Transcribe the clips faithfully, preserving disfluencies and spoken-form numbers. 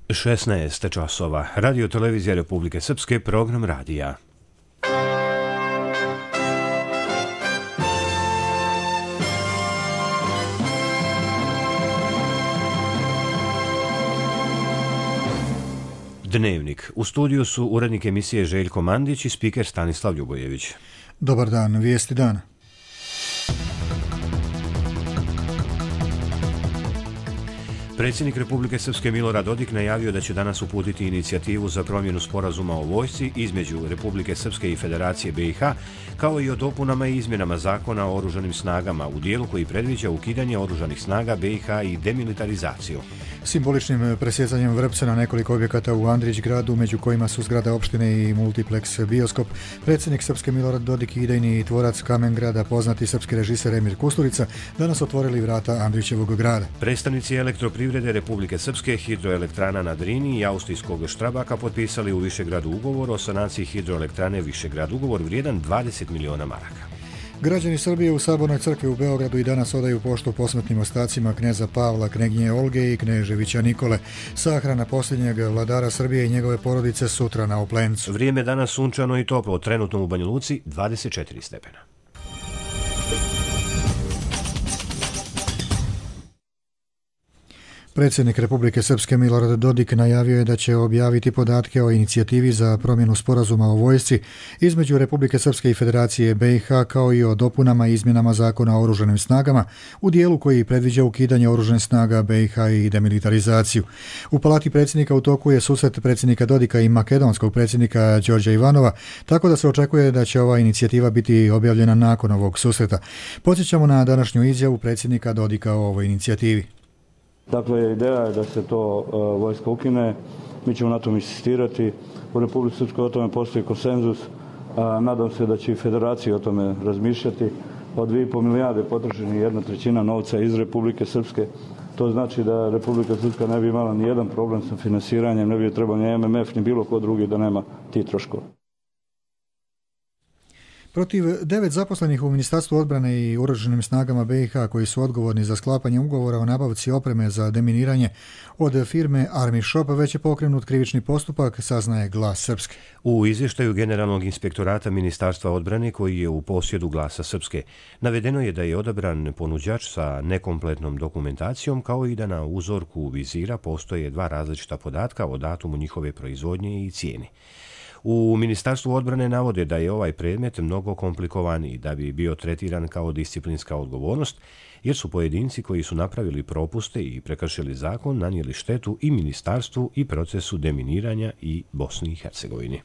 šesnaest časova. Radio televizija Republike Srpske, program radija. Dnevnik. U studiju su urednik emisije Željko Mandić i spiker Stanislav Ljubojević. Dobar dan, vijesti dana. Predsjednik Republike Srpske Milorad Dodik najavio da će danas uputiti inicijativu za promjenu sporazuma o vojsci između Republike Srpske i Federacije B i H, kao i o dopunama i izmjenama zakona o oružanim snagama u dijelu koji predviđa ukidanje oružanih snaga B i H i demilitarizaciju. Simboličnim presjecanjem vrpca na nekoliko objekata u Andrić gradu, među kojima su zgrada opštine i multiplex bioskop, predsjednik Srpske Milorad Dodik i idejni tvorac Kamen grada, poznati srpski režiser Emir Kusturica, danas otvorili vrata Andrićevog grada. Predstavnici elektroprivrede Republike Srpske, hidroelektrana na Drini i austrijskog Štrabaka potpisali u Višegradu ugovor o sanaciji hidroelektrane Višegrad, ugovor vrijedan dvadeset miliona maraka. Građani Srbije u Sabornoj crkvi u Beogradu i danas odaju poštu posmrtnim ostacima kneza Pavla, kneginje Olge i kneževića Nikole. Sahrana posljednjeg vladara Srbije i njegove porodice sutra na Oplencu. Vrijeme danas sunčano i toplo, trenutno u Banja Luci dvadeset četiri stepena. Predsjednik Republike Srpske Milorad Dodik najavio je da će objaviti podatke o inicijativi za promjenu sporazuma o vojsci između Republike Srpske i Federacije B i H, kao i o dopunama i izmjenama zakona o oružanim snagama u dijelu koji predviđa ukidanje oružanih snaga B i H i demilitarizaciju. U palati predsjednika u toku je susret predsjednika Dodika i makedonskog predsjednika Đorđa Ivanova, tako da se očekuje da će ova inicijativa biti objavljena nakon ovog susreta. Podsjećamo na današnju izjavu predsjednika Dodika o ovoj inicijativi. Dakle, ideja je da se to uh, vojska ukine, mi ćemo na tom insistirati. U Republici Srpskoj o tome postoji konsenzus, a nadam se da će i federacija o tome razmišljati. Od dvije i pol milijarde potrošeni jedna trećina novca iz Republike Srpske. To znači da Republika Srpska ne bi imala ni jedan problem sa finansiranjem, ne bi trebalo ni M M F ni bilo ko drugi da nema ti troškova. Protiv devet zaposlenih u Ministarstvu odbrane i oružanim snagama B i H koji su odgovorni za sklapanje ugovora o nabavci opreme za deminiranje od firme Army Shop već je pokrenut krivični postupak, saznaje Glas Srpske. U izvještaju Generalnog inspektorata Ministarstva odbrane koji je u posjedu Glasa Srpske navedeno je da je odabran ponuđač sa nekompletnom dokumentacijom, kao i da na uzorku vizira postoje dva različita podatka o datumu njihove proizvodnje i cijeni. U Ministarstvu odbrane navode da je ovaj predmet mnogo komplikovaniji da bi bio tretiran kao disciplinska odgovornost, jer su pojedinci koji su napravili propuste i prekršili zakon nanijeli štetu i ministarstvu i procesu deminiranja i Bosni i Hercegovini.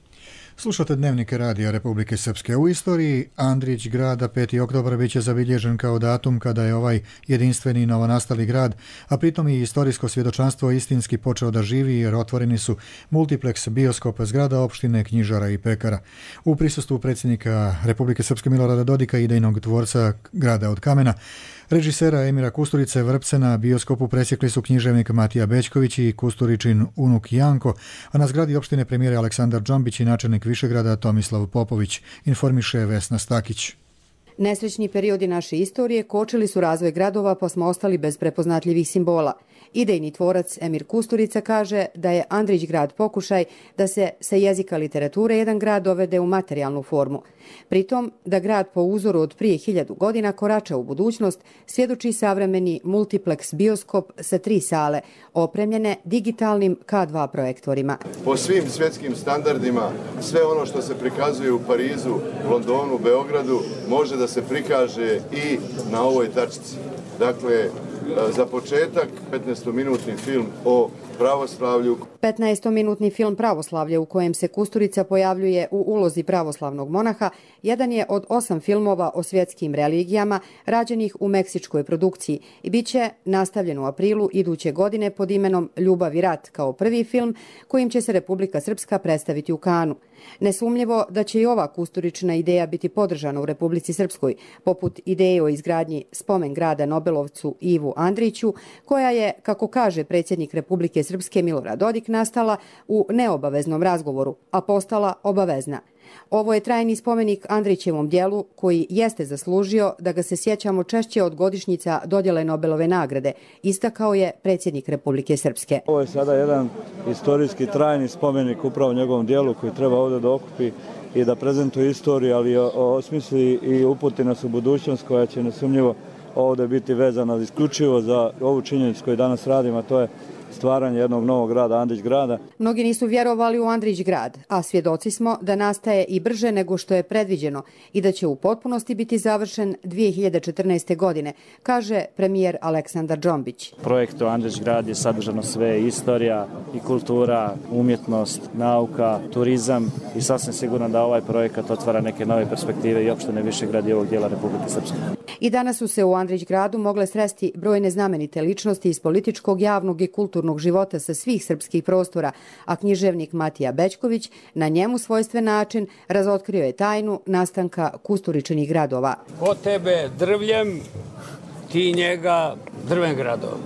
Slušate dnevnike Radija Republike Srpske. U istoriji Andrić grada peti oktobar biće zabilježen kao datum kada je ovaj jedinstveni novonastali grad, a pritom i istorijsko svjedočanstvo istinski počeo da živi jer otvoreni su multiplex bioskop, zgrada opštine, knjižara i pekara. U prisustvu predsjednika Republike Srpske Milorada Dodika i idejnog tvorca grada od kamena, režisera Emira Kusturice, vrpce na bioskopu presjekli su književnik Matija Bećković i Kusturičin unuk Janko, a na zgradi opštine premijer Aleksandar Džombić i načelnik Višegrada Tomislav Popović, informiše Vesna Stakić. Nesrećni periodi naše istorije kočili su razvoj gradova pa smo ostali bez prepoznatljivih simbola. Idejni tvorac Emir Kusturica kaže da je Andrić grad pokušaj da se sa jezika literature jedan grad dovede u materijalnu formu. Pritom da grad po uzoru od prije hiljadu godina korača u budućnost, svjedoči savremeni multiplex bioskop sa tri sale, opremljene digitalnim K dva projektorima. Po svim svjetskim standardima, sve ono što se prikazuje u Parizu, Londonu, Beogradu, može da se prikaže i na ovoj tačci. Dakle, za početak petnaestominutni film o pravoslavlju. petnaestominutni film Pravoslavlje u kojem se Kusturica pojavljuje u ulozi pravoslavnog monaha jedan je od osam filmova o svjetskim religijama rađenih u meksičkoj produkciji i bit će nastavljen u aprilu iduće godine pod imenom Ljubav i rat kao prvi film kojim će se Republika Srpska predstaviti u Kanu. Nesumnjivo da će i ova Kusturičina ideja biti podržana u Republici Srpskoj, poput ideje o izgradnji spomen grada Nobelovcu Ivu Andriću, koja je, kako kaže predsjednik Republike Srpske Milorad Dodik, nastala u neobaveznom razgovoru, a postala obavezna. Ovo je trajni spomenik Andrićevom djelu koji jeste zaslužio da ga se sjećamo češće od godišnjica dodjele Nobelove nagrade, istakao je predsjednik Republike Srpske. Ovo je sada jedan istorijski trajni spomenik upravo njegovom djelu koji treba ovdje da okupi i da prezentuje istoriju, ali osmisli i uputi nas u budućnost koja će nesumnjivo ovdje biti vezana isključivo za ovu činjenicu koju danas radimo, a to je stvaranje jednog novog grada, Andrić grada. Mnogi nisu vjerovali u Andrić grad, a svjedoci smo da nastaje i brže nego što je predviđeno i da će u potpunosti biti završen dvije hiljade četrnaeste. godine, kaže premijer Aleksandar Džombić. Projekt Andrić grad je sadržano sve, istorija i kultura, umjetnost, nauka, turizam i sasvim sigurno da ovaj projekat otvara neke nove perspektive i opštine Višegrad i ovog dijela Republike Srpske. I danas su se u Andrić gradu mogle sresti brojne znamenite ličnosti iz političkog, javnog i kulturnog života sa svih srpskih prostora, a književnik Matija Bećković na njemu svojstven način razotkrio je tajnu nastanka Kusturičinih gradova. Ko tebe drvljem, ti njega drven gradov.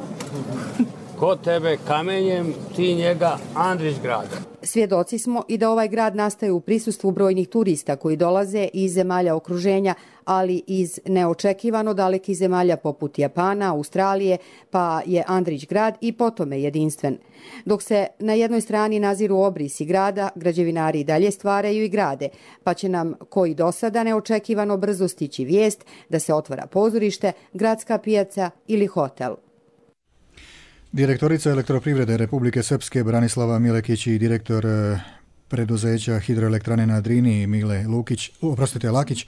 Ko tebe kamenjem, ti njega Andrić grad. Svjedoci smo i da ovaj grad nastaje u prisustvu brojnih turista koji dolaze iz zemalja okruženja, ali iz neočekivano dalekih zemalja poput Japana, Australije, pa je Andrić grad i po tome jedinstven. Dok se na jednoj strani naziru obrisi grada, građevinari i dalje stvaraju i grade, pa će nam koji do sada neočekivano brzo stići vijest da se otvara pozorište, gradska pijaca ili hotel. Direktorica Elektroprivrede Republike Srpske Branislava Milekić i direktor preduzeća Hidroelektrane na Drini Mile Lukić, oprostite, Lakić,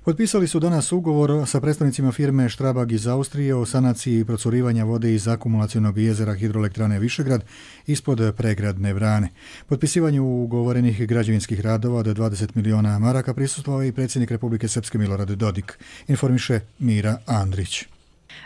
potpisali su danas ugovor sa predstavnicima firme Štrabag iz Austrije o sanaciji procurivanja vode iz akumulacionog jezera Hidroelektrane Višegrad ispod pregradne brane. Potpisivanju ugovorenih građevinskih radova od dvadeset miliona maraka prisustvovao i predsjednik Republike Srpske Milorad Dodik, informiše Mira Andrić.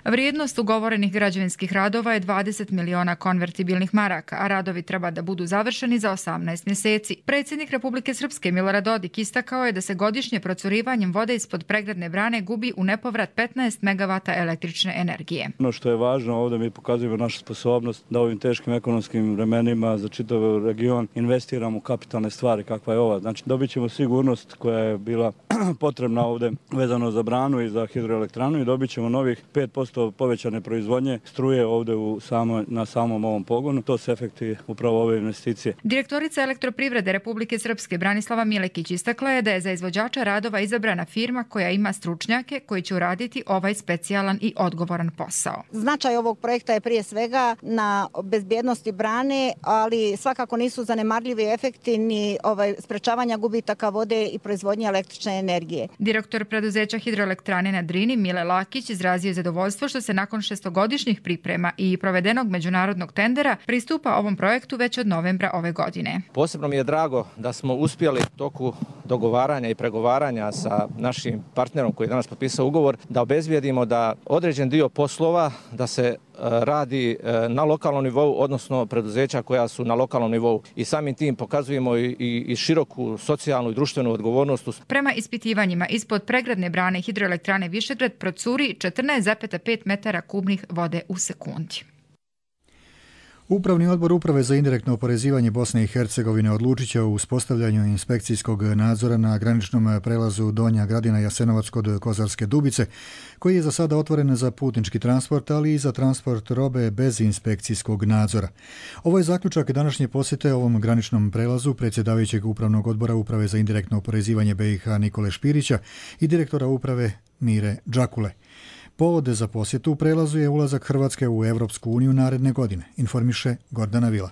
Vrijednost ugovorenih građevinskih radova je dvadeset miliona konvertibilnih maraka, a radovi treba da budu završeni za osamnaest mjeseci. Predsjednik Republike Srpske Milorad Dodik istakao je da se godišnje procurivanjem vode ispod pregradne brane gubi u nepovrat petnaest megavata električne energije. Ono što je važno, ovdje mi pokazujemo našu sposobnost da ovim teškim ekonomskim vremenima za čitav region investiramo u kapitalne stvari kakva je ova. Znači dobit ćemo sigurnost koja je bila potrebna ovdje vezano za branu i za hidroelektranu i dobit ćemo novih pet posto povećane proizvodnje struje ovdje u samo, na samom ovom pogonu. To su efekti upravo ove investicije. Direktorica Elektroprivrede Republike Srpske Branislava Milekić istakla je da je za izvođača radova izabrana firma koja ima stručnjake koji će uraditi ovaj specijalan i odgovoran posao. Značaj ovog projekta je prije svega na bezbjednosti brane, ali svakako nisu zanemarljivi efekti ni ovaj, sprečavanja gubitaka vode i proizvodnje električne energije. Direktor preduzeća Hidroelektrane na Drini Mile Lakić izrazio zadovoljstvo što se nakon šestogodišnjih priprema i provedenog međunarodnog tendera pristupa ovom projektu već od novembra ove godine. Posebno mi je drago da smo uspjeli u toku dogovaranja i pregovaranja sa našim partnerom koji je danas potpisao ugovor da obezbijedimo da određen dio poslova da se radi na lokalnom nivou, odnosno preduzeća koja su na lokalnom nivou. I samim tim pokazujemo i, i, i široku socijalnu i društvenu odgovornost. Prema ispitivanjima, ispod pregradne brane Hidroelektrane Višegrad procuri četrnaest zarez pet metara kubnih vode u sekundi. Upravni odbor Uprave za indirektno oporezivanje Bosne i Hercegovine odlučit će o uspostavljanju inspekcijskog nadzora na graničnom prelazu Donja Gradina Jasenovac kod Kozarske Dubice, koji je za sada otvoren za putnički transport, ali i za transport robe bez inspekcijskog nadzora. Ovo je zaključak današnje posjete ovom graničnom prelazu predsjedavajućeg Upravnog odbora Uprave za indirektno oporezivanje B i H Nikole Špirića i direktora Uprave Mire Džakule. Povod za posjetu u prelazu je ulazak Hrvatske u Evropsku uniju naredne godine, informiše Gordana Vila.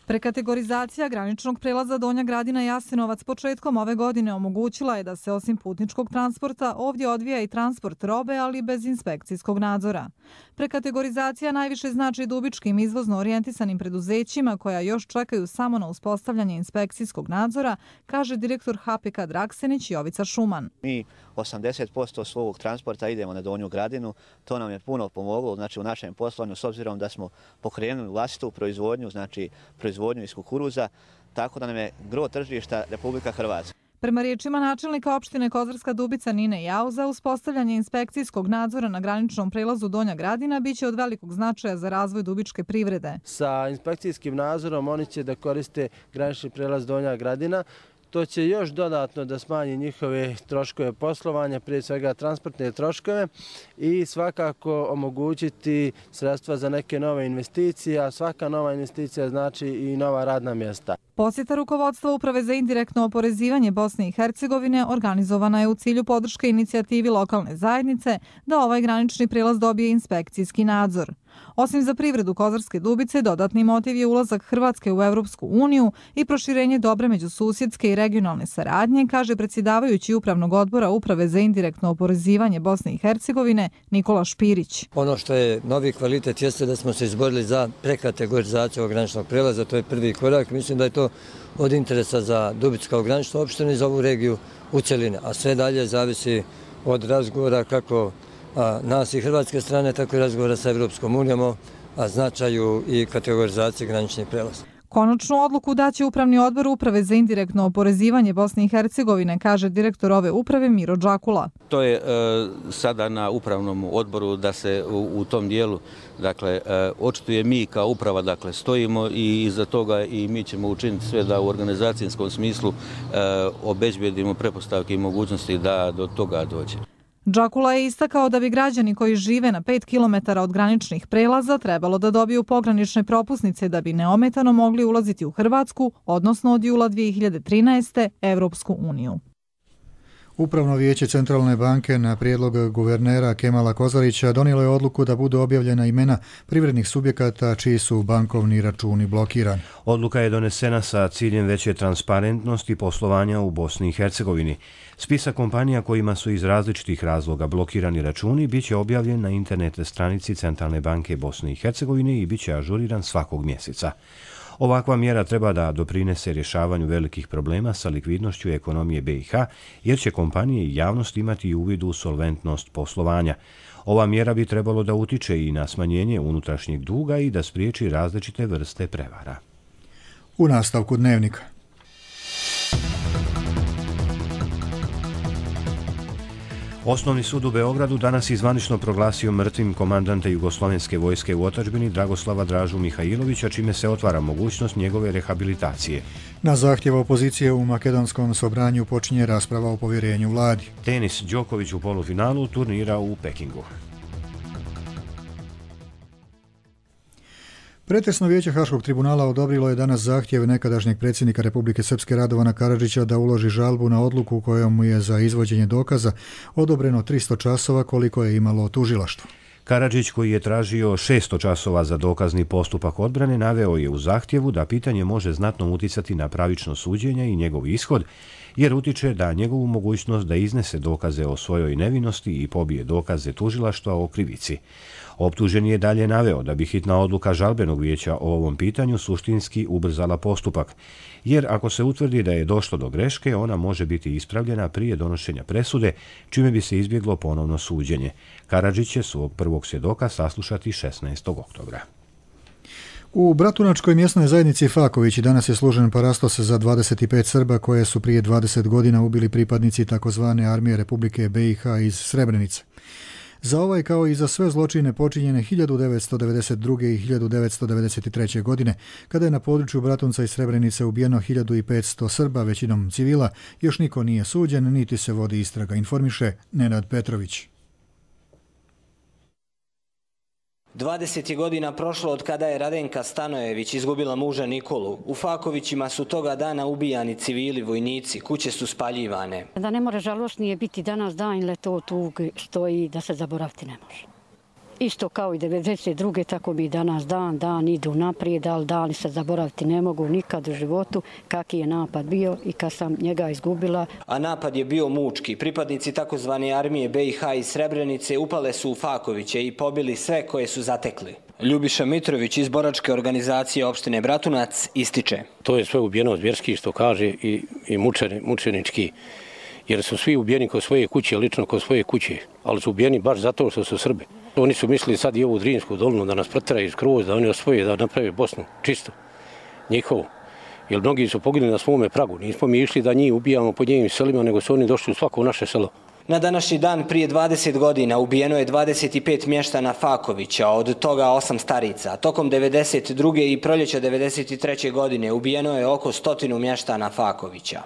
Prekategorizacija graničnog prelaza Donja Gradina Jasenovac početkom ove godine omogućila je da se osim putničkog transporta ovdje odvija i transport robe, ali bez inspekcijskog nadzora. Prekategorizacija najviše znači dubičkim izvozno orijentisanim preduzećima koja još čekaju samo na uspostavljanje inspekcijskog nadzora, kaže direktor H P K Draksenić Jovica Šuman. Mi osamdeset posto svog transporta idemo na Donju Gradinu, to nam je puno pomoglo znači u našem poslovanju s obzirom da smo pokrenuli vlastitu proizvodnju, znači proizvodnju iz kukuruza, tako da nam je gro tržišta Republika Hrvatska. Prema riječima načelnika opštine Kozarska Dubica Nine Jauza, uspostavljanje inspekcijskog nadzora na graničnom prelazu Donja Gradina biće od velikog značaja za razvoj dubičke privrede. Sa inspekcijskim nadzorom oni će da koriste granični prelaz Donja Gradina. To će još dodatno da smanji njihove troškove poslovanja, prije svega transportne troškove i svakako omogućiti sredstva za neke nove investicije, a svaka nova investicija znači i nova radna mjesta. Posjeta rukovodstva Uprave za indirektno oporezivanje Bosne i Hercegovine organizovana je u cilju podrške inicijativi lokalne zajednice da ovaj granični prijelaz dobije inspekcijski nadzor. Osim za privredu Kozarske Dubice, dodatni motiv je ulazak Hrvatske u Evropsku uniju i proširenje dobre međususjedske i regionalne saradnje, kaže predsjedavajući Upravnog odbora Uprave za indirektno oporezivanje Bosne i Hercegovine Nikola Špirić. Ono što je novi kvalitet jeste da smo se izborili za prekategorizaciju ovog graničnog prelaza, to je prvi korak. Mislim da je to od interesa za Dubicu kao graničnu opštinu i za ovu regiju u cjelini, a sve dalje zavisi od razgovora kako a nas i hrvatske strane, tako i razgovora sa Evropskom unijom o značaju i kategorizaciji graničnih prelaza. Konačnu odluku daće Upravni odbor Uprave za indirektno oporezivanje Bosne i Hercegovine, kaže direktor ove uprave Miro Đakula. To je e, sada na Upravnom odboru da se u, u tom dijelu, dakle, e, očituje mi kao uprava, dakle, stojimo i iza toga i mi ćemo učiniti sve da u organizacijskom smislu e, obezbedimo pretpostavke i mogućnosti da do toga dođe. Đakula je istakao da bi građani koji žive na pet kilometara od graničnih prelaza trebalo da dobiju pogranične propusnice da bi neometano mogli ulaziti u Hrvatsku, odnosno od jula dvije hiljade trinaeste. Evropsku uniju. Upravno vijeće Centralne banke na prijedlog guvernera Kemala Kozarića donijelo je odluku da budu objavljena imena privrednih subjekata čiji su bankovni računi blokirani. Odluka je donesena sa ciljem veće transparentnosti poslovanja u Bosni i Hercegovini. Spisak kompanija kojima su iz različitih razloga blokirani računi biće objavljen na internet stranici Centralne banke Bosne i Hercegovine i biće ažuriran svakog mjeseca. Ovakva mjera treba da doprinese rješavanju velikih problema sa likvidnošću ekonomije B i H, jer će kompanije i javnost imati uvid u solventnost poslovanja. Ova mjera bi trebalo da utiče i na smanjenje unutrašnjeg duga i da spriječi različite vrste prevara. U nastavku dnevnika. Osnovni sud u Beogradu danas je zvanično proglasio mrtvim komandanta Jugoslovenske vojske u otadžbini Dragoslava Dražu Mihajlovića, čime se otvara mogućnost njegove rehabilitacije. Na zahtjev opozicije u makedonskom sobranju počinje rasprava o povjerenju vladi. Tenis, Đoković u polufinalu turnira u Pekingu. Pretresno vijeće Haškog tribunala odobrilo je danas zahtjev nekadašnjeg predsjednika Republike Srpske Radovana Karadžića da uloži žalbu na odluku kojom mu je za izvođenje dokaza odobreno tristo časova koliko je imalo tužilaštvo. Karadžić, koji je tražio šesto časova za dokazni postupak odbrane, naveo je u zahtjevu da pitanje može znatno uticati na pravično suđenje i njegov ishod, jer utiče da njegovu mogućnost da iznese dokaze o svojoj nevinosti i pobije dokaze tužilaštva o krivici. Optuženi je dalje naveo da bi hitna odluka žalbenog vijeća o ovom pitanju suštinski ubrzala postupak, jer ako se utvrdi da je došlo do greške, ona može biti ispravljena prije donošenja presude, čime bi se izbjeglo ponovno suđenje. Karadžić će svog prvog svjedoka saslušati šesnaestog oktobra. U Bratunačkoj mjesnoj zajednici Fakovići danas je služen parastos za dvadeset pet Srba koje su prije dvadeset godina ubili pripadnici takozvane armije Republike B i H iz Srebrenice. Za ovaj kao i za sve zločine počinjene hiljadu devetsto devedeset druge. i hiljadu devetsto devedeset treće. godine, kada je na području Bratunca i Srebrenice ubijeno hiljadu petsto Srba, većinom civila, još niko nije suđen, niti se vodi istraga, informiše Nenad Petrović. dvadeset je godina prošlo od kada je Radenka Stanojević izgubila muža Nikolu. U Fakovićima su toga dana ubijani civili, vojnici, kuće su spaljivane. Da ne more žalosnije biti danas dan, ili to tuge stoji da se zaboraviti ne može. Isto kao i devedeset druge. tako bi danas dan, dan idu naprijed, ali dani se zaboraviti ne mogu nikad u životu kaki je napad bio i kad sam njega izgubila. A napad je bio mučki. Pripadnici takozvane armije B i H iz Srebrenice upale su u Fakoviće i pobili sve koje su zatekli. Ljubiša Mitrović iz boračke organizacije opštine Bratunac ističe. To je sve ubijeno zvjerski, što kaže, i, i mučeni, mučenički. Jer su svi ubijeni kod svoje kuće, lično kod svoje kuće, ali su ubijeni baš zato što su Srbi. Oni su mislili sad i ovu Drinsku dolinu da nas proteraju skroz, da oni osvoje, da naprave Bosnu čisto, njihovo. Jer mnogi su poginuli na svome pragu. Nismo mi išli da njih ubijamo po njenim selima, nego su oni došli u svako naše selo. Na današnji dan prije dvadeset godina ubijeno je dvadeset pet mještana Fakovića, od toga osam starica. Tokom devedeset druge. i proljeća devedeset treće. godine ubijeno je oko stotinu mještana Fakovića.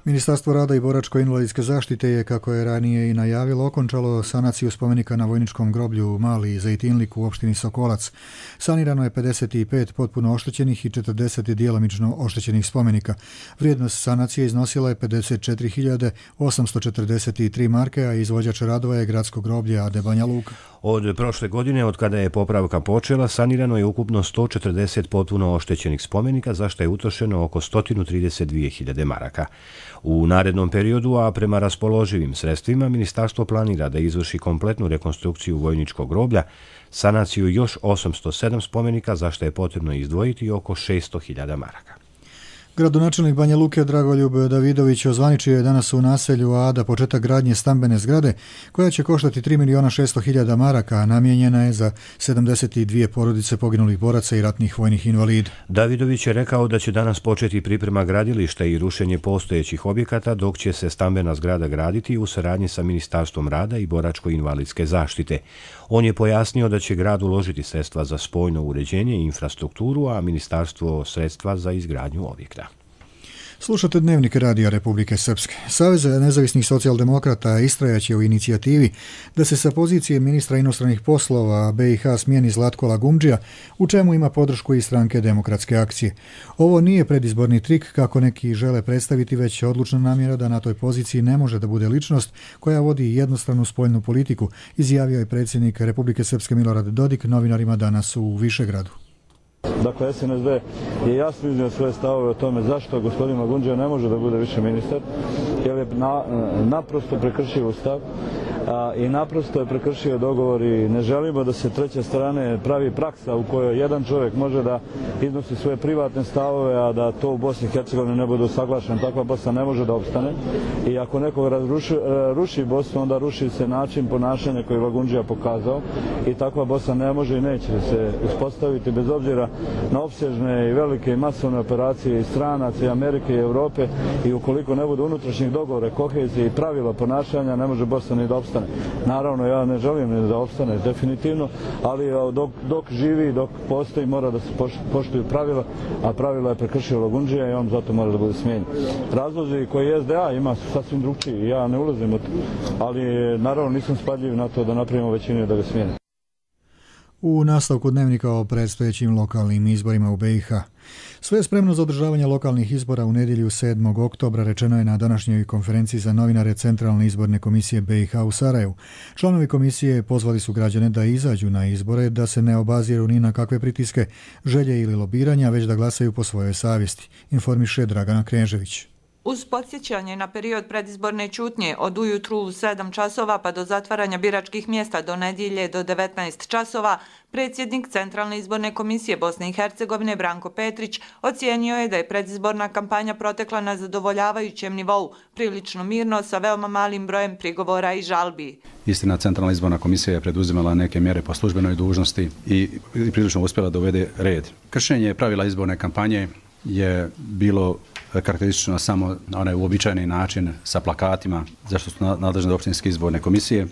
Ministarstvo rada i boračko-invalidske zaštite je, kako je ranije i najavilo, okončalo sanaciju spomenika na vojničkom groblju Mali Zejtinlik u opštini Sokolac. Sanirano je pedeset pet potpuno oštećenih i četrdeset djelomično oštećenih spomenika. Vrijednost sanacije iznosila je pedeset četiri hiljade osamsto četrdeset tri marke, a izvođač radova je gradsko groblje Ade Banja Luka. Od prošle godine, od kada je popravka počela, sanirano je ukupno sto četrdeset potpuno oštećenih spomenika, za što je utrošeno oko sto trideset dvije hiljade maraka. U narednom periodu, a prema raspoloživim sredstvima, ministarstvo planira da izvrši kompletnu rekonstrukciju vojničkog groblja, sanaciju još osamsto sedam spomenika, za što je potrebno izdvojiti oko šesto hiljada maraka. Gradonačelnik Banja Luke Dragoljub Davidović ozvaničio je danas u naselju Ada početak gradnje stambene zgrade koja će koštati tri miliona šesto hiljada maraka, a namijenjena je za sedamdeset dvije porodice poginulih boraca i ratnih vojnih invalida. Davidović je rekao da će danas početi priprema gradilišta i rušenje postojećih objekata, dok će se stambena zgrada graditi u saradnji sa Ministarstvom rada i boračko-invalidske zaštite. On je pojasnio da će grad uložiti sredstva za spojno uređenje i infrastrukturu, a ministarstvo sredstva za izgradnju objekta. Slušate Dnevnik Radija Republike Srpske. Savez nezavisnih socijaldemokrata istrajaće u inicijativi da se sa pozicije ministra inostranih poslova B i H smijeni Zlatko Lagumdžija, u čemu ima podršku i stranke Demokratske akcije. Ovo nije predizborni trik, kako neki žele predstaviti, već odlučna namjera da na toj poziciji ne može da bude ličnost koja vodi jednostranu spoljnu politiku, izjavio je predsjednik Republike Srpske Milorad Dodik novinarima danas u Višegradu. Dakle, S N S D je jasno iznio svoje stavove o tome zašto gospodin Lagumdžija ne može da bude više ministar, jer je na, naprosto prekršio Ustav a, i naprosto je prekršio dogovor i ne želimo da se treće strane pravi praksa u kojoj jedan čovjek može da iznosi svoje privatne stavove, a da to u Bosni i Hercegovini ne bude usaglašeno. Takva Bosna ne može da opstane i ako nekog razruši, ruši Bosnu, onda ruši se način ponašanja koji je Lagumdžija pokazao i takva Bosna ne može i neće se uspostaviti bez obzira na opsežne i velike i masovne operacije i stranaca i Amerike i Europe, i ukoliko ne bude unutrašnjih dogovora, kohezije i pravila ponašanja, ne može Bosna ni da opstane. Naravno, ja ne želim ni da opstane definitivno, ali dok, dok živi, dok postoji, mora da se poštuju pravila, a pravila je prekršio Lagumdžija i on zato mora da bude smijenjen. Razlozi koji S D A ima su sasvim drugčiji, ja ne ulazim u to, ali naravno nisam spadljiv na to da napravimo većinu da ga smijenim. U nastavku Dnevnika o predstojećim lokalnim izborima u B i H. Sve je spremno za održavanje lokalnih izbora u nedjelju sedmog oktobra, rečeno je na današnjoj konferenciji za novinare Centralne izborne komisije B i H u Sarajevu. Članovi komisije pozvali su građane da izađu na izbore, da se ne obaziru ni na kakve pritiske, želje ili lobiranja, već da glasaju po svojoj savjesti, informiše Dragana Knežević. Uz podsjećanje na period predizborne ćutnje od ujutru u sedam časova pa do zatvaranja biračkih mjesta do nedjelje do devetnaest časova, predsjednik Centralne izborne komisije Bosne i Hercegovine Branko Petrić ocijenio je da je predizborna kampanja protekla na zadovoljavajućem nivou, prilično mirno, sa veoma malim brojem prigovora i žalbi. Istina, Centralna izborna komisija je preduzimala neke mjere po službenoj dužnosti i prilično uspjela da uvede red. Kršenje pravila izborne kampanje je bilo karakteristično samo na onaj uobičajeni način sa plakatima, zašto su nadležne općinske izborne komisije,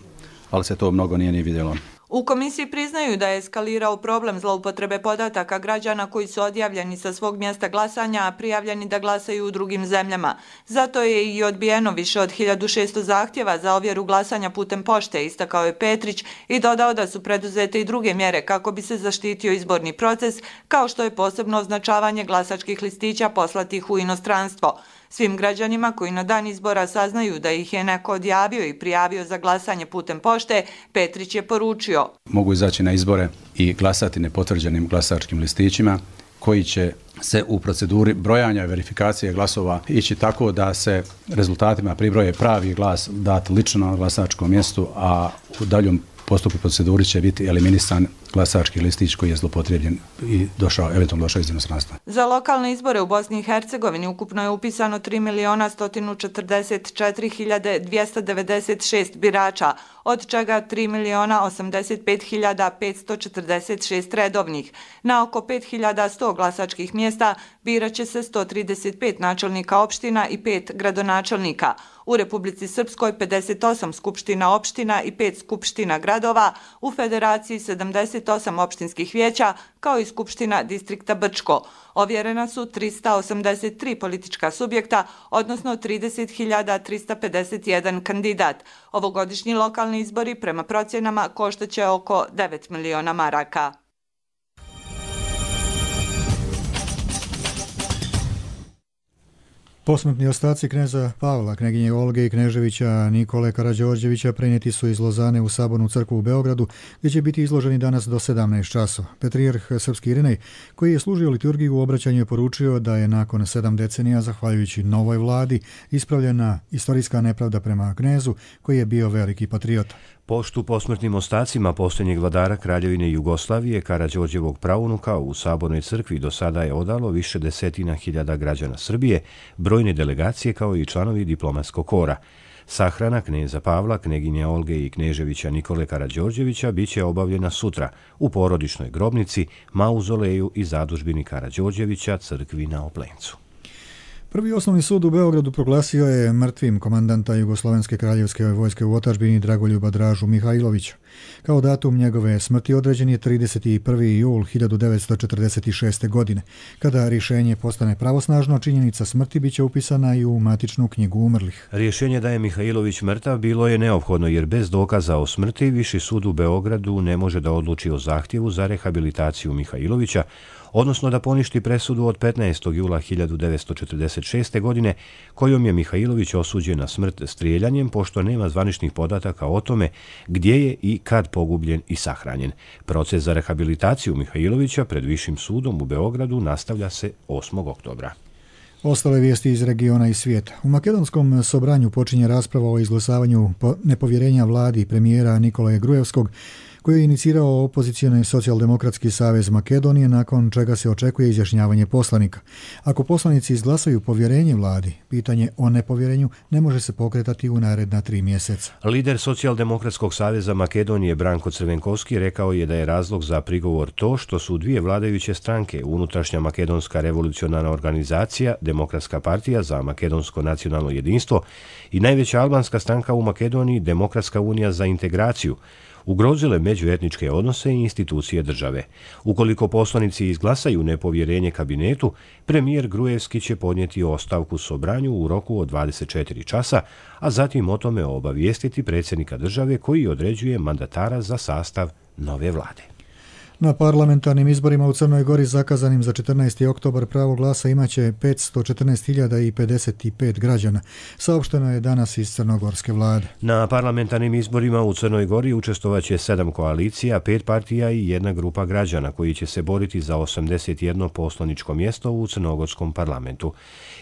ali se to mnogo nije ni vidjelo. U komisiji priznaju da je eskalirao problem zloupotrebe podataka građana koji su odjavljeni sa svog mjesta glasanja, a prijavljeni da glasaju u drugim zemljama. Zato je i odbijeno više od hiljadu šesto zahtjeva za ovjeru glasanja putem pošte, istakao je Petrić i dodao da su preduzete i druge mjere kako bi se zaštitio izborni proces, kao što je posebno označavanje glasačkih listića poslatih u inostranstvo. Svim građanima koji na dan izbora saznaju da ih je neko odjavio i prijavio za glasanje putem pošte, Petrić je poručio: mogu izaći na izbore i glasati nepotvrđenim glasačkim listićima koji će se u proceduri brojanja i verifikacije glasova ići tako da se rezultatima pribroje pravi glas dat lično na glasačkom mjestu, a u daljom postupku proceduri će biti eliminisan glasački listić koji je zloupotrebljen i došao, eventualno došao iz inostranstva. Za lokalne izbore u Bosni i Hercegovini ukupno je upisano tri miliona sto četrdeset četiri hiljade dvjesto devedeset šest birača, od čega tri miliona osamdeset pet hiljada petsto četrdeset šest redovnih. Na oko pet hiljada sto glasačkih mjesta biraće se sto trideset pet načelnika opština i pet gradonačelnika. U Republici Srpskoj pedeset osam skupština opština i pet skupština gradova, u Federaciji sedamdeset osam opštinskih vijeća, kao i skupština distrikta Brčko. Ovjerena su trista osamdeset tri politička subjekta, odnosno trideset hiljada trista pedeset jedan kandidat. Ovogodišnji lokalni izbori prema procjenama koštaće oko devet miliona maraka. Posmrtni ostaci kneza Pavla, kneginje Olge i kneževića Nikole Karađorđevića prenijeti su iz Lozane u Sabornu crkvu u Beogradu, gdje će biti izloženi danas do sedamnaest časova. Patrijarh srpski Irinej, koji je služio liturgiju u obraćanju, je poručio da je nakon sedam decenija, zahvaljujući novoj vladi, ispravljena istorijska nepravda prema knezu, koji je bio veliki patriota. Poštu posmrtnim ostacima posljednjeg vladara Kraljevine Jugoslavije Karađorđevog praunuka u Sabornoj crkvi do sada je odalo više desetina hiljada građana Srbije, brojne delegacije kao i članovi diplomatskog kora. Sahrana kneza Pavla, kneginje Olge i kneževića Nikole Karađorđevića biće obavljena sutra u porodičnoj grobnici, mauzoleju i zadužbini Karađorđevića crkvi na Oplencu. Prvi osnovni sud u Beogradu proglasio je mrtvim komandanta Jugoslovenske kraljevske vojske u otadžbini Dragoljuba Dražu Mihajlovića. Kao datum njegove smrti određen je trideset prvi jul hiljadu devetsto četrdeset šeste. godine. Kada rješenje postane pravosnažno, činjenica smrti biće upisana i u matičnu knjigu umrlih. Rješenje da je Mihajlović mrtav bilo je neophodno jer bez dokaza o smrti Viši sud u Beogradu ne može da odluči o zahtjevu za rehabilitaciju Mihajlovića, odnosno da poništi presudu od petnaestog jula hiljadu devetsto četrdeset šeste. godine kojom je Mihajlović osuđen na smrt strijeljanjem, pošto nema zvaničnih podataka o tome gdje je i kad pogubljen i sahranjen. Proces za rehabilitaciju Mihajlovića pred Višim sudom u Beogradu nastavlja se osmog oktobra. Ostale vijesti iz regiona i svijeta. U makedonskom sobranju počinje rasprava o izglasavanju nepovjerenja vladi premijera Nikolaja Grujevskog, koji je inicirao opozicijoni Socijaldemokratski savez Makedonije, nakon čega se očekuje izjašnjavanje poslanika. Ako poslanici izglasaju povjerenje vladi, pitanje o nepovjerenju ne može se pokretati u naredna tri mjeseca. Lider Socijaldemokratskog saveza Makedonije Branko Crvenkovski rekao je da je razlog za prigovor to što su dvije vladajuće stranke, unutrašnja makedonska revolucionarna organizacija, Demokratska partija za makedonsko nacionalno jedinstvo i najveća albanska stranka u Makedoniji, Demokratska unija za integraciju, ugrozile međuetničke odnose i institucije države. Ukoliko poslanici izglasaju nepovjerenje kabinetu, premijer Grujevski će podnijeti ostavku sobranju u roku od dvadeset četiri časa, a zatim o tome obavijestiti predsjednika države koji određuje mandatara za sastav nove vlade. Na parlamentarnim izborima u Crnoj Gori zakazanim za četrnaesti oktobar pravo glasa imaće petsto četrnaest hiljada pedeset pet građana, saopšteno je danas iz crnogorske vlade. Na parlamentarnim izborima u Crnoj Gori učestovaće sedam koalicija, pet partija i jedna grupa građana koji će se boriti za osamdeset jedno poslaničko mjesto u crnogorskom parlamentu.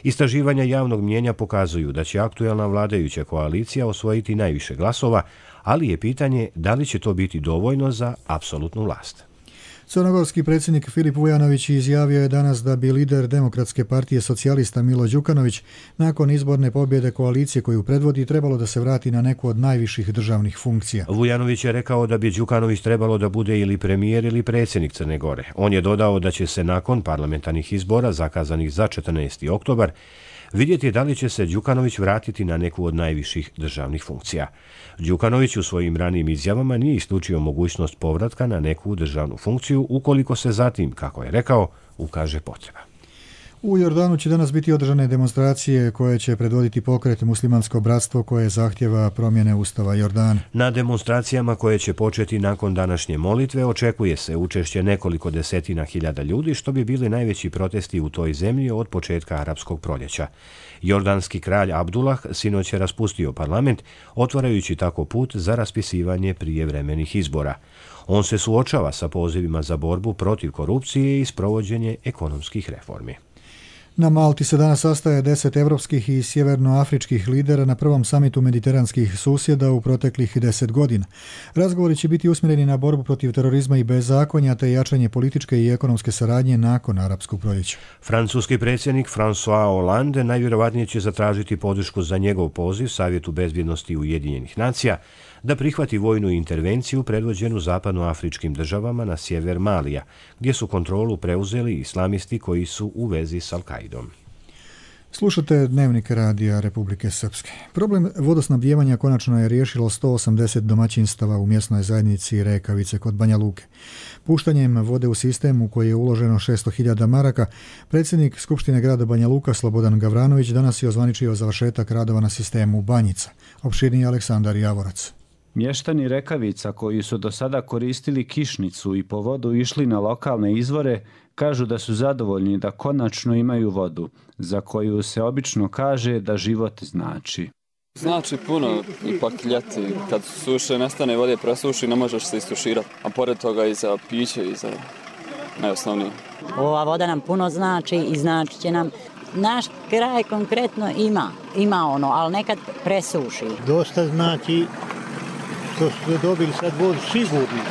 Istraživanja javnog mnijenja pokazuju da će aktuelna vladajuća koalicija osvojiti najviše glasova, ali je pitanje da li će to biti dovoljno za apsolutnu vlast. Crnogorski predsjednik Filip Vujanović izjavio je danas da bi lider Demokratske partije socijalista Milo Đukanović nakon izborne pobjede koalicije koju predvodi trebalo da se vrati na neku od najviših državnih funkcija. Vujanović je rekao da bi Đukanović trebalo da bude ili premijer ili predsjednik Crne Gore. On je dodao da će se nakon parlamentarnih izbora zakazanih za četrnaesti oktobar vidjeti da li će se Đukanović vratiti na neku od najviših državnih funkcija. Đukanović u svojim ranijim izjavama nije isključio mogućnost povratka na neku državnu funkciju ukoliko se zatim, kako je rekao, ukaže potreba. U Jordanu će danas biti održane demonstracije koje će predvoditi pokret Muslimansko bratstvo koje zahtjeva promjene Ustava Jordana. Na demonstracijama koje će početi nakon današnje molitve očekuje se učešće nekoliko desetina hiljada ljudi, što bi bili najveći protesti u toj zemlji od početka arapskog proljeća. Jordanski kralj Abdullah sinoć je raspustio parlament, otvarajući tako put za raspisivanje prijevremenih izbora. On se suočava sa pozivima za borbu protiv korupcije i sprovođenje ekonomskih reformi. Na Malti se danas sastaje deset evropskih i sjevernoafričkih lidera na prvom samitu mediteranskih susjeda u proteklih deset godina. Razgovori će biti usmjereni na borbu protiv terorizma i bezakonja te jačanje političke i ekonomske saradnje nakon arapskog proljeća. Francuski predsjednik François Hollande najvjerovatnije će zatražiti podršku za njegov poziv Savjetu bezbjednosti Ujedinjenih nacija da prihvati vojnu intervenciju predvođenu zapadnoafričkim državama na sjever Malija, gdje su kontrolu preuzeli islamisti koji su u vezi s Al-Kaidom. Slušate Dnevnik radija Republike Srpske. Problem vodosnabdijevanja konačno je riješilo sto osamdeset domaćinstava u mjesnoj zajednici Rekavice kod Banja Luke. Puštanjem vode u sistem u koji je uloženo šesto hiljada maraka, predsjednik Skupštine grada Banja Luka Slobodan Gavranović danas je ozvaničio završetak radova na sistemu Banjica. Opširniji Aleksandar Javorac. Mještani Rekavica koji su do sada koristili kišnicu i po vodu išli na lokalne izvore, kažu da su zadovoljni da konačno imaju vodu, za koju se obično kaže da život znači. Znači puno, ipak ljeti, kad suše, nestane vode, presuši, ne možeš se istuširati, a pored toga i za piće i za najosnovnije. Ova voda nam puno znači i znači će nam. Naš kraj konkretno ima, ima ono, ali nekad presuši. Dosta znači što su dobili sad vodu sigurno,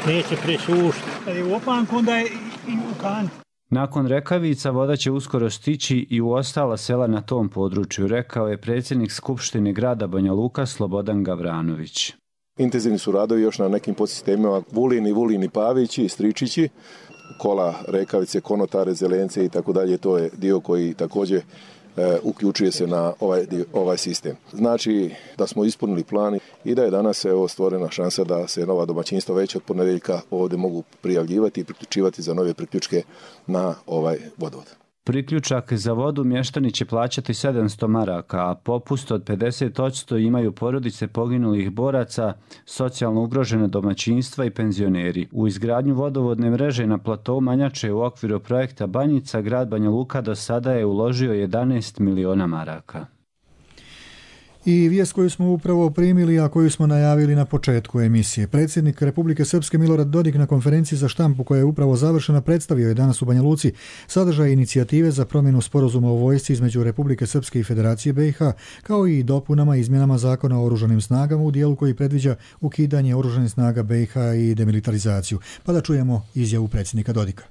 neće presušiti. Kad je u opanku, onda je i u kanti. Nakon Rekavica voda će uskoro stići i u ostala sela na tom području, rekao je predsjednik Skupštine grada Banja Luka Slobodan Gavranović. Intenzivni su radovi još na nekim podsistemima Vulini, Vulini, Pavići, Stričići, kola Rekavice, Konotare, Zelence i tako dalje. To je dio koji također e, uključuje se na ovaj, dio, ovaj sistem. Znači da smo ispunili plan i da je danas evo, stvorena šansa da se nova domaćinstva već od ponedjeljka ovdje mogu prijavljivati i priključivati za nove priključke na ovaj vodovod. Priključak za vodu mještani će plaćati sedamsto maraka, a popust od pedeset posto imaju porodice poginulih boraca, socijalno ugrožene domaćinstva i penzioneri. U izgradnju vodovodne mreže na platou Manjače u okviru projekta Banjica, grad Banja Luka do sada je uložio jedanaest miliona maraka. I vijest koju smo upravo primili, a koju smo najavili na početku emisije. Predsjednik Republike Srpske Milorad Dodik na konferenciji za štampu koja je upravo završena predstavio je danas u Banja Luci sadržaj inicijative za promjenu sporazuma o vojsci između Republike Srpske i Federacije B i H, kao i dopunama i izmjenama zakona o oružanim snagama u dijelu koji predviđa ukidanje oružanih snaga B i H i demilitarizaciju. Pa da čujemo izjavu predsjednika Dodika.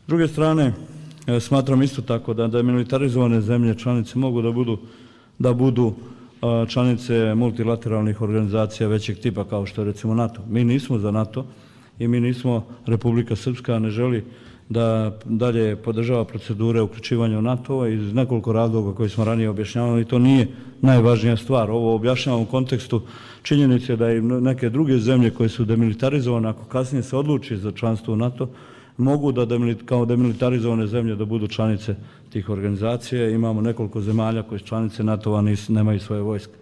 S druge strane, smatram isto tako da demilitarizovane zemlje članice mogu da budu da budu članice multilateralnih organizacija većeg tipa kao što je recimo NATO. Mi nismo za NATO i mi nismo, Republika Srpska ne želi da dalje podržava procedure uključivanja u NATO iz nekoliko razloga koji smo ranije objašnjavali i to nije najvažnija stvar. Ovo objašnjavam u kontekstu činjenice da i neke druge zemlje koje su demilitarizovane, ako kasnije se odluči za članstvo u NATO, mogu da kao demilitarizovane zemlje da budu članice tih organizacija. Imamo nekoliko zemalja koje su članice NATO-a nemaju svoje vojske.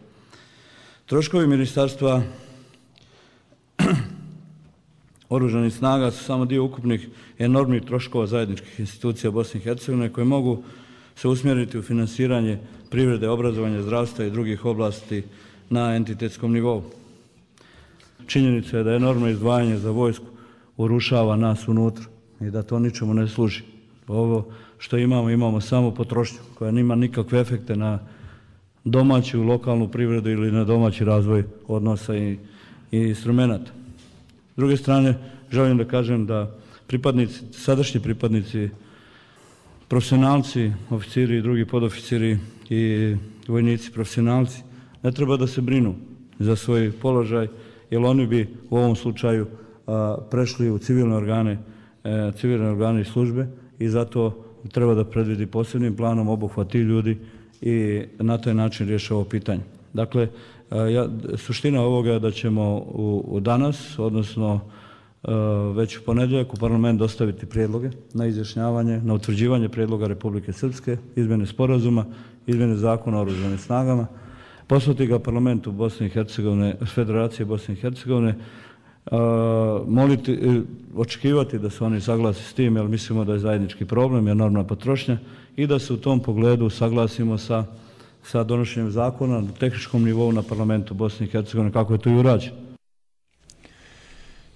Troškovi ministarstva oružanih snaga su samo dio ukupnih enormnih troškova zajedničkih institucija Bosne i Hercegovine koje mogu se usmjeriti u finansiranje privrede, obrazovanja, zdravstva i drugih oblasti na entitetskom nivou. Činjenica je da enormno izdvajanje za vojsku urušava nas unutra i da to ničemu ne služi. Ovo što imamo, imamo samo potrošnju koja nima nikakve efekte na domaću lokalnu privredu ili na domaći razvoj odnosa i, i instrumenta. S druge strane, želim da kažem da pripadnici, sadašnji pripadnici, profesionalci, oficiri i drugi podoficiri i vojnici profesionalci ne treba da se brinu za svoj položaj, jer oni bi u ovom slučaju a, prešli u civilne organe, e, civilne organe i službe i zato treba da predvidi posebnim planom obuhvat tih ljudi i na taj način riješi ovo pitanje. Dakle, ja, suština ovoga je da ćemo u, u danas, odnosno već u ponedjeljak u parlament dostaviti prijedloge na izjašnjavanje, na utvrđivanje prijedloga Republike Srpske, izmjene sporazuma, izmjene zakona o oružanim snagama, poslati ga parlamentu Bosne i Hercegovine, Federacije Bosne i Hercegovine, moliti, očekivati da se oni saglasi s tim, jer mislimo da je zajednički problem, enormna potrošnja i da se u tom pogledu saglasimo sa, sa donošenjem zakona na tehničkom nivou na parlamentu Bosne i Hercegovine, kako je to i urađeno.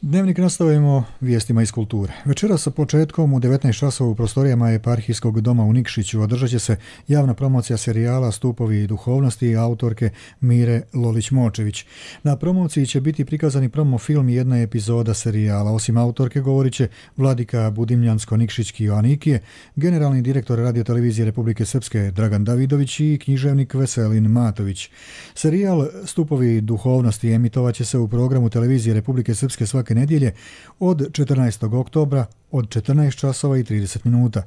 Dnevnik nastavimo vijestima iz kulture. Večera sa početkom u devetnaest časova u prostorijama Eparhijskog doma u Nikšiću održat će se javna promocija serijala Stupovi duhovnosti autorke Mire Lolić-Močević. Na promociji će biti prikazani promo film i jedna epizoda serijala. Osim autorke govorit će Vladika Budimljansko-Nikšićki Joanikije, generalni direktor radiotelevizije Republike Srpske Dragan Davidović i književnik Veselin Matović. Serijal Stupovi duhovnosti emitovat će se u programu televizije Republike Srpske svake nedjelje od četrnaestog oktobra od četrnaest časova i trideset minuta.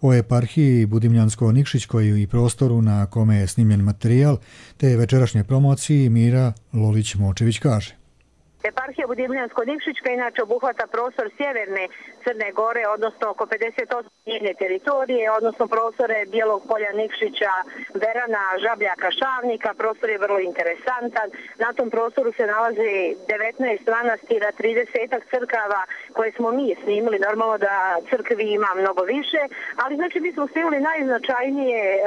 o eparhiji Budimljansko-Nikšićkoj i prostoru na kome je snimljen materijal, te večerašnje promociji Mira Lolić-Močević kaže. Eparhija Budimljansko-Nikšićka inače obuhvata prostor sjeverne Crne Gore, odnosno oko pedeset osam njene teritorije, odnosno prostore Bijelog polja, Nikšića, Berana, Žabljaka, Šavnika. Prostor je vrlo interesantan. Na tom prostoru se nalazi devetnaest manastira, trideset crkava koje smo mi snimili. Normalno da crkvi ima mnogo više, ali znači mi smo snimili najznačajnije a,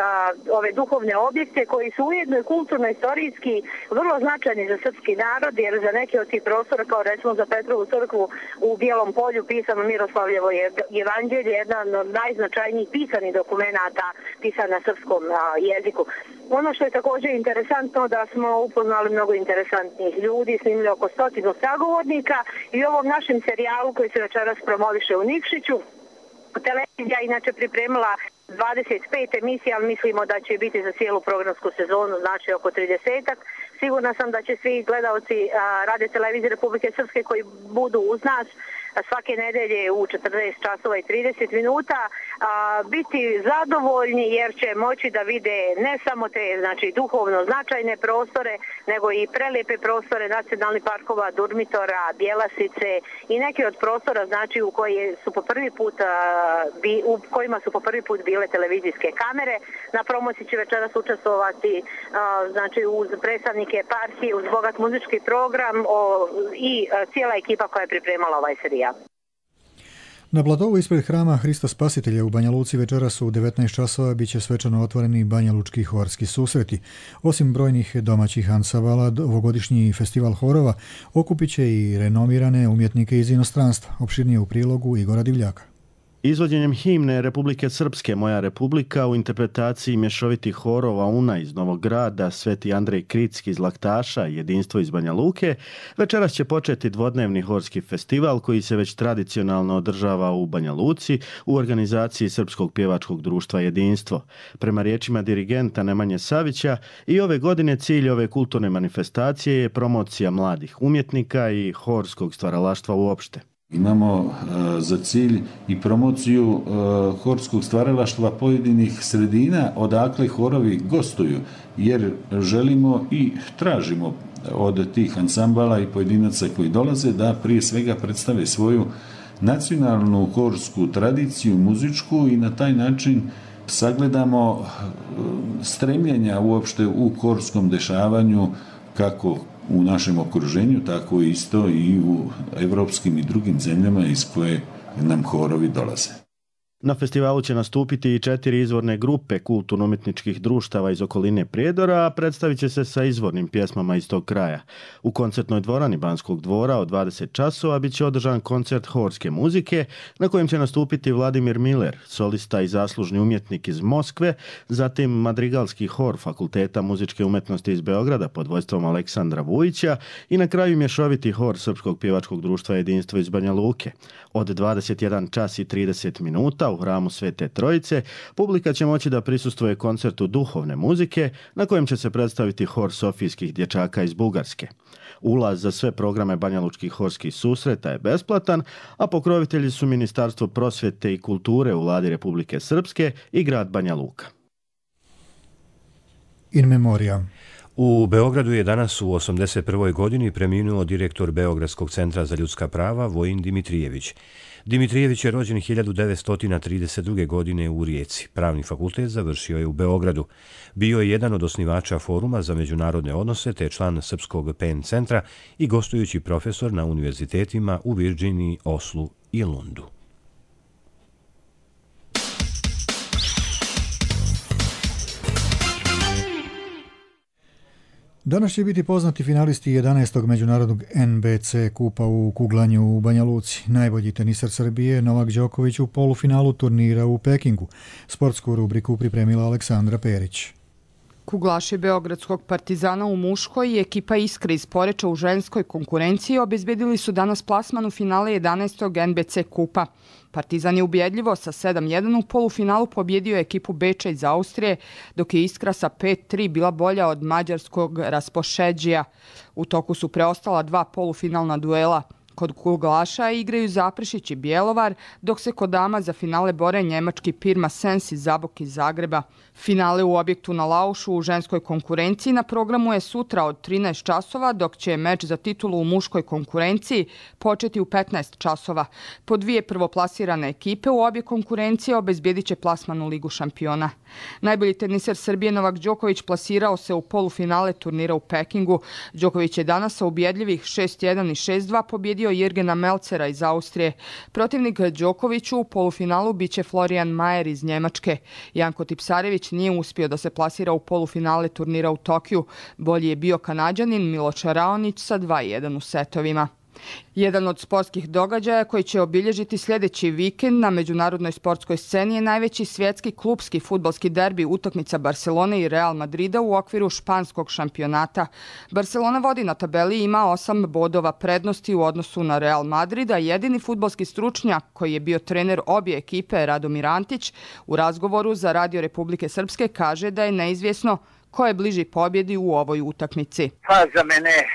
ove duhovne objekte koji su ujedno i kulturno-istorijski vrlo značajni za srpski narod, jer za neke od tih prostora, kao recimo za Petrovu crkvu u Bijelom polju pisano Miroslavljevo evanđelje, jedan od najznačajnijih pisanih dokumenata pisan na srpskom a, jeziku. Ono što je također interesantno da smo upoznali mnogo interesantnih ljudi, snimili oko stotinu sagovornika i u ovom našem serijalu koji se večeras promoviše u Nikšiću. Televizija inače pripremila dvadeset pet emisija, ali mislimo da će biti za cijelu programsku sezonu, znači oko tridesetak. Sigurna sam da će svi gledalci Radio televizije Republike Srpske koji budu uz nas svake nedelje u četrnaest časova i trideset minuta a, biti zadovoljni jer će moći da vide ne samo te znači duhovno značajne prostore, nego i prelijepe prostore nacionalnih parkova, Durmitora, Bjelasice i neki od prostora znači u koje su po prvi put a, bi, u kojima su po prvi put bile televizijske kamere. Na promociji će večeras učestvovati a, znači uz predstavnike eparhije, uz bogat muzički program o, i a, cijela ekipa koja je pripremala ovaj serijal. Na Bladovu ispred hrama Hrista Spasitelja u Banja Luci večeras u devetnaest časova bit će svečano otvoreni Banja Lučki horski susreti. Osim brojnih domaćih ansambala, ovogodišnji festival horova okupit će i renomirane umjetnike iz inostranstva. Opširnije u prilogu Igora Divljaka. Izvođenjem himne Republike Srpske Moja Republika u interpretaciji mješovitih horova Una iz Novog Grada, Sveti Andrej Kritski iz Laktaša, Jedinstvo iz Banja Luke, večeras će početi dvodnevni horski festival koji se već tradicionalno održava u Banja Luci u organizaciji Srpskog pjevačkog društva Jedinstvo. Prema riječima dirigenta Nemanje Savića, i ove godine cilj ove kulturne manifestacije je promocija mladih umjetnika i horskog stvaralaštva uopšte. Imamo uh, za cilj i promociju uh, horskog stvaralaštva pojedinih sredina odakle horovi gostuju, jer želimo i tražimo od tih ansambala i pojedinaca koji dolaze da prije svega predstave svoju nacionalnu horsku tradiciju, muzičku i na taj način sagledamo uh, stremljenja uopšte u horskom dešavanju kako u našem okruženju, tako isto i u evropskim i drugim zemljama iz koje nam horovi dolaze. Na festivalu će nastupiti i četiri izvorne grupe kulturno-umjetničkih društava iz okoline Prijedora, a predstavit će se sa izvornim pjesmama iz tog kraja. U koncertnoj dvorani Banskog dvora od dvadeset časova bit će održan koncert horske muzike na kojem će nastupiti Vladimir Miller, solista i zaslužni umjetnik iz Moskve, zatim madrigalski hor Fakulteta muzičke umjetnosti iz Beograda pod vodstvom Aleksandra Vujića i na kraju mješoviti hor Srpskog pjevačkog društva Jedinstvo iz Banja Luke. Od dvadeset jedan čas i trideset minuta u hramu Svete Trojice publika će moći da prisustvuje koncertu duhovne muzike na kojem će se predstaviti hor Sofijskih dječaka iz Bugarske. Ulaz za sve programe banjalučkih horskih susreta je besplatan, a pokrovitelji su Ministarstvo prosvjete i kulture u Vladi Republike Srpske i grad Banja Luka. In memoria. U Beogradu je danas u osamdeset prvoj godini preminuo direktor Beogradskog centra za ljudska prava Vojin Dimitrijević. Dimitrijević je rođen hiljadu devetsto trideset druge. godine u Rijeci. Pravni fakultet završio je u Beogradu. Bio je jedan od osnivača Foruma za međunarodne odnose te član Srpskog P N centra i gostujući profesor na univerzitetima u Virginiji, Oslu i Lundu. Danas će biti poznati finalisti jedanaestog međunarodnog N B C kupa u kuglanju u Banja Luci. Najbolji tenisar Srbije Novak Đoković u polufinalu turnira u Pekingu. Sportsku rubriku pripremila Aleksandra Perić. Kuglaši Beogradskog Partizana u muškoj i ekipa Iskre iz Poreča u ženskoj konkurenciji obezbedili su danas plasman u finale jedanaestog N B C kupa. Partizan je ubjedljivo sa sedam jedan u polufinalu pobjedio ekipu Beča iz Austrije, dok je Iskra sa pet tri bila bolja od mađarskog Raspošeđija. U toku su preostala dva polufinalna duela. Kod kuglaša igraju Zaprešić i Bjelovar, dok se kod dama za finale bore njemački Pirma Sens iz Zabok iz Zagreba. Finale u objektu na Laušu u ženskoj konkurenciji na programu je sutra od trinaest časova, dok će meč za titulu u muškoj konkurenciji početi u petnaest časova. Po dvije prvoplasirane ekipe u obje konkurencije obezbjedit će plasman u Ligu šampiona. Najbolji teniser Srbije Novak Đoković plasirao se u polufinale turnira u Pekingu. Đoković je danas sa ubjedljivih šest jedan i šest dva pobjedio Jirgena Melcera iz Austrije. Protivnik Đokoviću u polufinalu biće Florian Mayer iz Njemačke. Janko Tipsarević nije uspio da se plasira u polufinale turnira u Tokiju. Bolji je bio Kanađanin Miloš Raonić sa dva jedan u setovima. Jedan od sportskih događaja koji će obilježiti sljedeći vikend na međunarodnoj sportskoj sceni je najveći svjetski klubski fudbalski derbi, utakmica Barcelone i Real Madrida u okviru španskog šampionata. Barcelona vodi na tabeli i ima osam bodova prednosti u odnosu na Real Madrid, a jedini fudbalski stručnjak koji je bio trener obje ekipe, Radomir Antić, u razgovoru za Radio Republike Srpske kaže da je neizvjesno ko je bliži pobjedi u ovoj utakmici. Pa za mene e,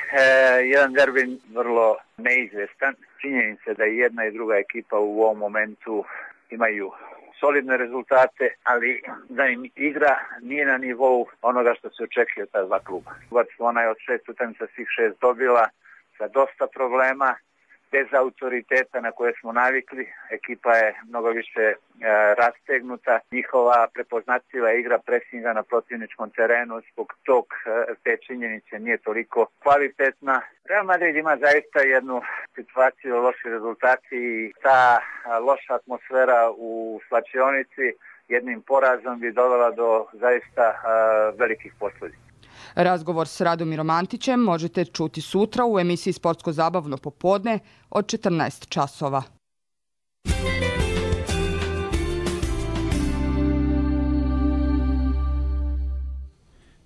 jedan derbi vrlo neizvjestan. Činjenica da i jedna i druga ekipa u ovom momentu imaju solidne rezultate, ali da im igra nije na nivou onoga što se očekuje od ta dva kluba. Barcelona je od šest utakmica svih šest dobila sa dosta problema, bez autoriteta na koje smo navikli. Ekipa je mnogo više e, rastegnuta. Njihova prepoznatljiva igra presinga na protivničkom terenu zbog tog e, te činjenice nije toliko kvalitetna. Real Madrid ima zaista jednu situaciju loši rezultati i ta a, loša atmosfera u slačionici jednim porazom bi dovela do zaista a, velikih posljedica. Razgovor s Radomirom Antićem možete čuti sutra u emisiji Sportsko-zabavno popodne od četrnaest časova.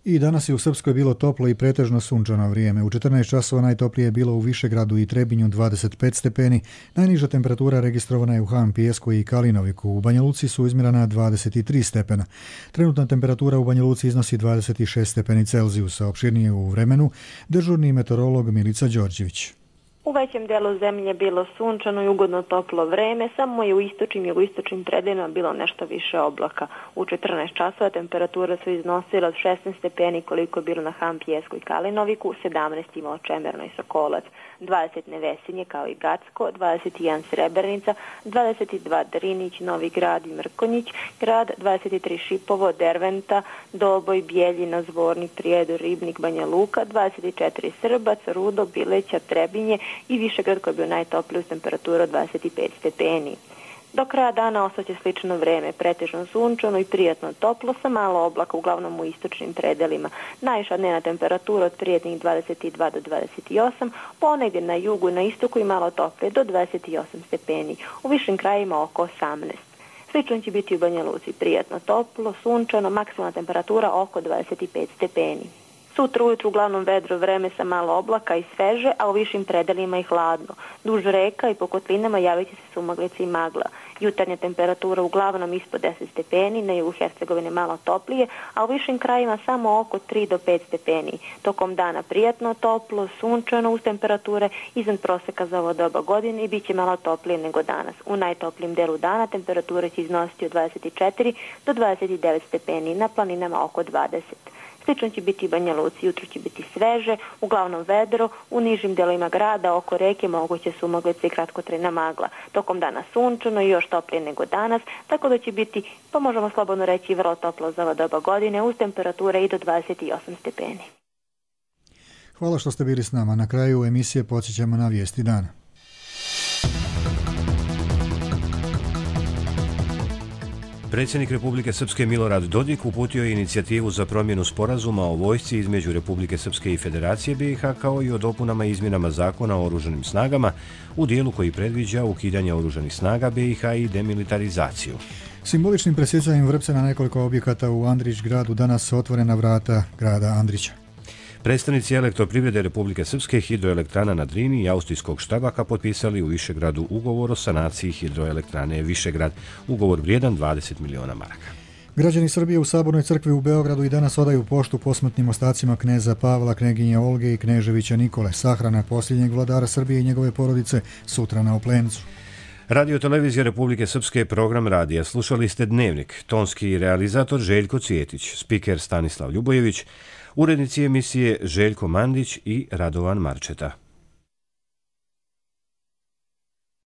I danas je u Srpskoj bilo toplo i pretežno sunčano vrijeme. U četrnaest časova najtoplije je bilo u Višegradu i Trebinju dvadeset pet stepeni. Najniža temperatura registrovana je u Han Pijesku i Kalinoviku. U Banja Luci su izmjerena dvadeset tri stepena. Trenutna temperatura u Banja Luci iznosi dvadeset šest stepeni Celzijusa. Opširnije u vremenu dežurni meteorolog Milica Đorđević. U većem delu zemlje bilo sunčano i ugodno toplo vreme, samo je u istočnim i jugoistočnim predelima bilo nešto više oblaka. U četrnaest časova temperatura su iznosila od šesnaest stepeni koliko je bilo na Han Pijesku i Kalinoviku, sedamnaest imao Čemerno i Sokolac, dvadeset Nevesinje kao i Gacko, dvadeset jedan Srebrenica, dvadeset dva Drinić, Novi Grad i Mrkonjić, grad, dvadeset tri Šipovo, Derventa, Doboj, Bijeljina, Zvornik, Prijedor, Ribnik, Banja Luka, dvadeset četiri Srbac, Rudo, Bileća, Trebinje i Višegrad koji je bio najtopliji uz temperaturu od dvadeset pet stepeni. Do kraja dana ostaće slično vreme, pretežno sunčano i prijatno toplo sa malo oblaka, uglavnom u istočnim predelima. Najviša dnevna temperatura od prijetnih dvadeset dva do dvadeset osam, ponegdje na jugu i na istoku i malo toplije do dvadeset osam stepeni, u višim krajima oko osamnaest. Slično će biti u Banja Luci, prijatno toplo, sunčano, maksimalna temperatura oko dvadeset pet stepeni. Sutra ujutru uglavnom vedro vreme sa malo oblaka i sveže, a u višim predelima i hladno. Duž reka i po kotlinama javit će se sumaglica i magla. Jutarnja temperatura uglavnom ispod deset stepeni, na jugu Hercegovine malo toplije, a u višim krajima samo oko tri do pet stepeni. Tokom dana prijatno toplo, sunčano uz temperature iznad proseka za ovo doba godine i bit će malo toplije nego danas. U najtoplijem delu dana temperatura će iznositi od dvadeset četiri do dvadeset devet stepeni, na planinama oko dvadeset. Slično će biti i Banja Luci, jutro će biti sveže, uglavnom vedro, u nižim delovima grada, oko reke moguće sumaglice i kratkotrajna magla. Tokom dana sunčano i još toplije nego danas, tako da će biti, pa možemo slobodno reći, vrlo toplo za ova doba godine, uz temperature i do dvadeset osam stepeni. Hvala što ste bili s nama. Na kraju emisije podsjećamo na vijesti dana. Predsjednik Republike Srpske Milorad Dodik uputio je inicijativu za promjenu sporazuma o vojsci između Republike Srpske i Federacije B i H kao i o dopunama i izmjenama zakona o oružanim snagama u dijelu koji predviđa ukidanje oružanih snaga B i H i demilitarizaciju. Simboličnim presjecanjem vrpca na nekoliko objekata u Andrić gradu danas otvorena vrata grada Andrića. Predstavnici Elektroprivrede Republike Srpske, hidroelektrana na Drini i austrijskog Štabaka potpisali u Višegradu ugovor o sanaciji hidroelektrane Višegrad, ugovor vrijedan dvadeset miliona maraka. Građani Srbije u Sabornoj crkvi u Beogradu i danas odaju poštu posmrtnim ostacima kneza Pavla, kneginje Olge i kneževića Nikole. Sahrana posljednjeg vladara Srbije i njegove porodice sutra na Oplencu. Radio televizija Republike Srpske, program radija. Slušali ste Dnevnik. Tonski realizator Željko Cvjetić, spiker Stanislav Ljubojević, urednici emisije Željko Mandić i Radovan Marčeta.